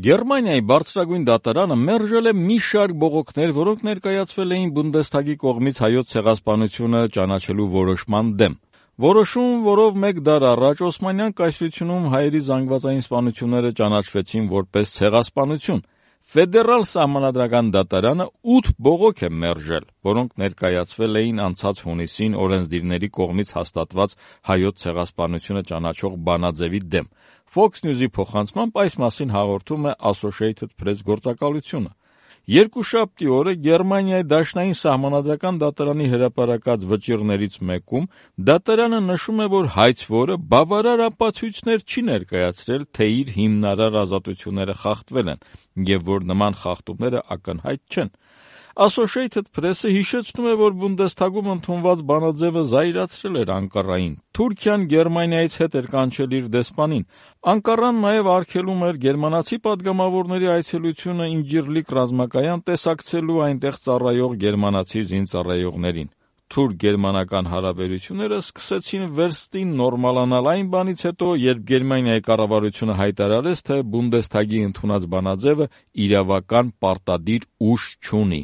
Գերմանիայի բարձրագույն դատարանը մերժել է մի շարք բողոքներ, որոնք ներկայացվել էին Բունդեսթագի կողմից հայոց ցեղասպանությունը ճանաչելու որոշման դեմ։ Որոշում, որով մեկ դար առաջ Օսմանյան կայսրությունում հայերի զանգվածային սպանությունները ճանաչվեցին որպես ցեղասպանություն։ Ֆեդերալ սահմանադրական դատարանը 8 բողոք է մերժել, որոնք ներկայացվել էին անցած հունիսին օրենսդիրների կողմից հաստատված հայոց ցեղասպանությունը ճանաչող բանաձևի դեմ։ Fox News-ի փոխանցմամբ այս մասին հաղորդում է Associated Press գործակալությունը։ Երկուշաբթի օրը Գերմանիայի դաշնային սահմանադրական դատարանի հրապարակած վճիռներից մեկում դատարանը նշում է, որ հայցվորը բավարար ապացույցներ չի ներկայացրել, թե իր հիմնարար ազատությունները խախտվել են, եւ որ նման խախտումները ակնհայտ չեն։ Associated Press-ը հիշեցնում է, որ Բունդեսթագում ընդունված բանաձևը զայրացրել էր Անկարային։ Թուրքիան Գերմանիայից հետ էր կանչել իր դեսպանին։ Անկարան նաև արգելում էր գերմանացի պատգամավորների այցելությունը Ինջիրլիկ ռազմակայան տեսակցելու այնտեղ ծառայող գերմանացի զինծառայողներին։ Թուրք-գերմանական հարաբերությունները սկսեցին վերստին նորմալանալ այն բանից հետո, երբ Գերմանիայի կառավարությունը հայտարարեց, թե Բունդեսթագի ընդունած բանաձևը իրավական պարտադիր ուժ չունի։